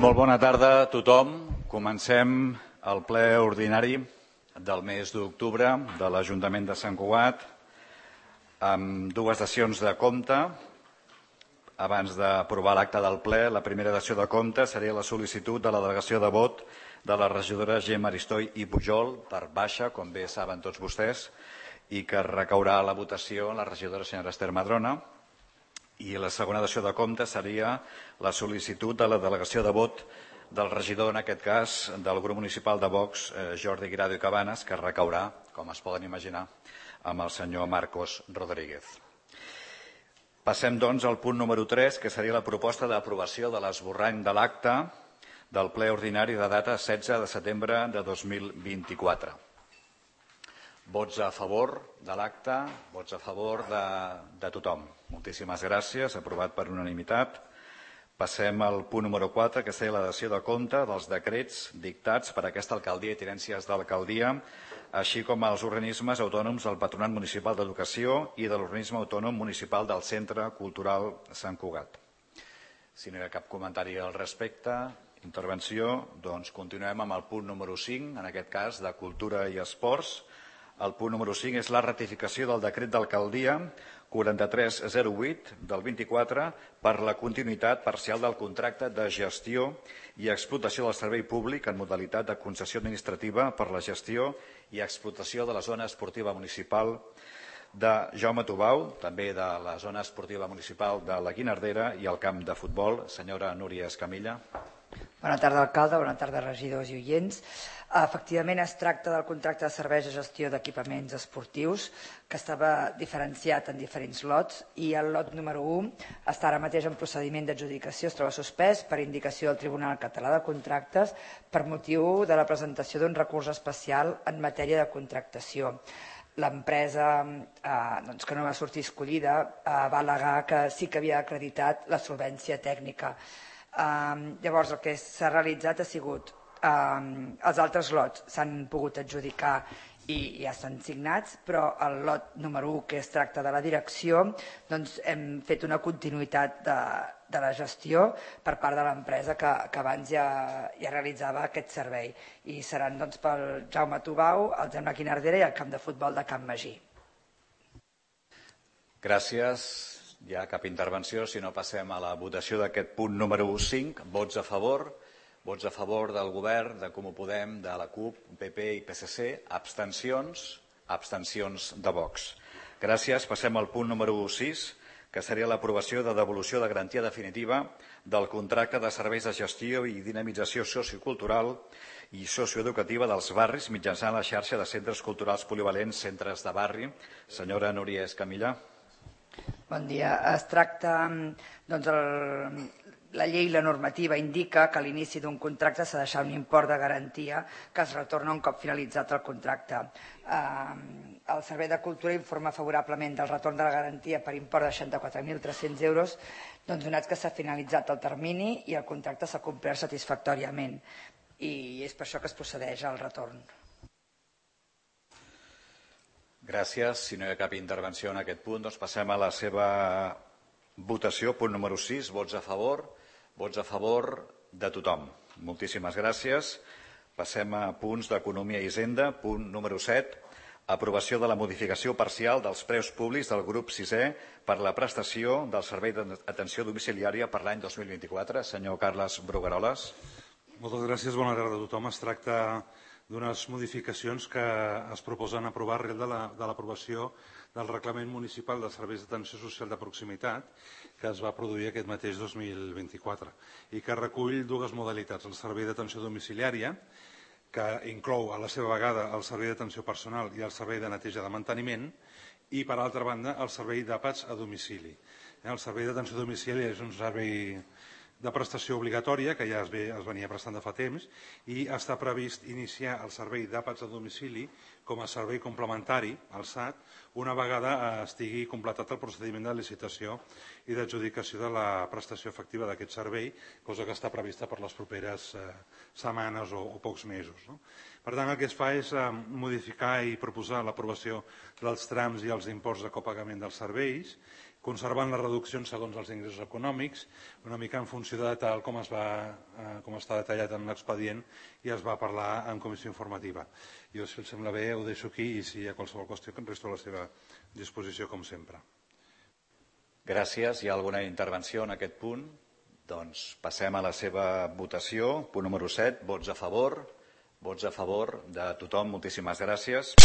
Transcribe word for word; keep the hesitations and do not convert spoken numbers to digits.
Molt bona tarda a tothom. Comencem el ple ordinari del mes d'octubre de l'Ajuntament de Sant Cugat amb dues sessions de compte. Abans d'aprovar l'acte del ple, la primera sessió de compte seria la sol·licitud de la delegació de vot de la regidora Gemma Aristoi i Pujol per baixa, com bé saben tots vostès, i que recaurà a la votació la regidora senyora Esther Madrona. I la segona sessió de compte seria la sol·licitud de la delegació de vot del regidor, en aquest cas, del grup municipal de Vox, Jordi Guirado i Cabanes, que recaurà, com es poden imaginar, amb el senyor Marcos Rodríguez. Passem, doncs, al punt número tres, que seria la proposta d'aprovació de l'esborrany de l'acte del ple ordinari de data setze de setembre de dos mil vint-i-quatre. Vots a favor de l'acte, vots a favor de, de tothom. Moltíssimes gràcies, aprovat per unanimitat. Passem al punt número quatre, que seria la dació de compte dels decrets dictats per aquesta alcaldia i tinències d'alcaldia, així com els organismes autònoms del Patronat Municipal d'Educació i de l'Organisme Autònom Municipal del Centre Cultural Sant Cugat. Si no hi ha cap comentari al respecte, intervenció, doncs continuem amb el punt número cinc, en aquest cas de Cultura i Esports. El punt número cinc és la ratificació del decret d'alcaldia quaranta-tres zero vuit del vint-i-quatre per la continuïtat parcial del contracte de gestió i explotació del servei públic en modalitat de concessió administrativa per la gestió i explotació de la zona esportiva municipal de Jaume Tubau, també de la zona esportiva municipal de la Guinardera i el camp de futbol. Senyora Núria Escamilla. Bona tarda, alcalde. Bona tarda, regidors i oients. Efectivament, es tracta del contracte de serveis de gestió d'equipaments esportius que estava diferenciat en diferents lots i el lot número u està ara mateix en procediment d'adjudicació, es troba suspès per indicació del Tribunal Català de Contractes per motiu de la presentació d'un recurs especial en matèria de contractació. L'empresa eh, doncs, que no va sortir escollida eh, va al·legar que sí que havia acreditat la solvència tècnica. Uh, llavors el que s'ha realitzat ha sigut uh, els altres lots s'han pogut adjudicar i ja estan signats, però el lot número u, que es tracta de la direcció, doncs hem fet una continuïtat de, de la gestió per part de l'empresa que, que abans ja, ja realitzava aquest servei i seran doncs, pel Jaume Tubau, el Gemma Guinardera i el camp de futbol de Can Magí. Gràcies. Hi ha cap intervenció, si no passem a la votació d'aquest punt número cinc. Vots a favor, vots a favor del govern, de Comú Podem, de la CUP, P P i P S C, abstencions, abstencions de Vox. Gràcies. Passem al punt número sis, que seria l'aprovació de devolució de garantia definitiva del contracte de serveis de gestió i dinamització sociocultural i socioeducativa dels barris mitjançant la xarxa de centres culturals polivalents, centres de barri. Senyora Núria Escamilla. Bon dia. Es tracta, doncs, el, la llei i la normativa indica que a l'inici d'un contracte s'ha de deixar un import de garantia que es retorna un cop finalitzat el contracte. Eh, el Servei de Cultura informa favorablement del retorn de la garantia per import de seixanta-quatre mil tres-cents euros, doncs, donats que s'ha finalitzat el termini i el contracte s'ha complert satisfactòriament. I és per això que es procedeix al retorn. Gràcies. Si no hi ha cap intervenció en aquest punt, doncs passem a la seva votació. Punt número sis, vots a favor. Vots a favor de tothom. Moltíssimes gràcies. Passem a punts d'Economia i Hisenda. Punt número set, aprovació de la modificació parcial dels preus públics del grup sisè per la prestació del servei d'atenció domiciliària per l'any dos mil vint-i-quatre. Senyor Carles Brugueroles. Moltes gràcies. Bona tarda a tothom. Es tracta d'unes modificacions que es proposen aprovar arrel de l'aprovació del Reglament Municipal de Serveis d'Atenció Social de Proximitat que es va produir aquest mateix dos mil vint-i-quatre i que recull dues modalitats, el servei d'atenció domiciliària, que inclou a la seva vegada el servei d'atenció personal i el servei de neteja de manteniment i, per altra banda, el servei d'àpats a domicili. El servei d'atenció domiciliària és un servei de prestació obligatòria, que ja es, ve, es venia prestant de fa temps, i està previst iniciar el servei d'àpats a domicili com a servei complementari al S A T una vegada estigui completat el procediment de licitació i d'adjudicació de la prestació efectiva d'aquest servei, cosa que està prevista per les properes eh, setmanes o, o pocs mesos. No? Per tant, el que es fa és eh, modificar i proposar l'aprovació dels trams i els imports de copagament dels serveis conservant les reduccions segons els ingressos econòmics, una mica en funció de tal com, es va, eh, com està detallat en l'expedient i es va parlar en comissió informativa. Jo, si els sembla bé, ho deixo aquí i si hi ha qualsevol qüestió, que em resto a la seva disposició, com sempre. Gràcies. Hi ha alguna intervenció en aquest punt? Doncs passem a la seva votació. Punt número set, vots a favor. Vots a favor de tothom. Moltíssimes gràcies.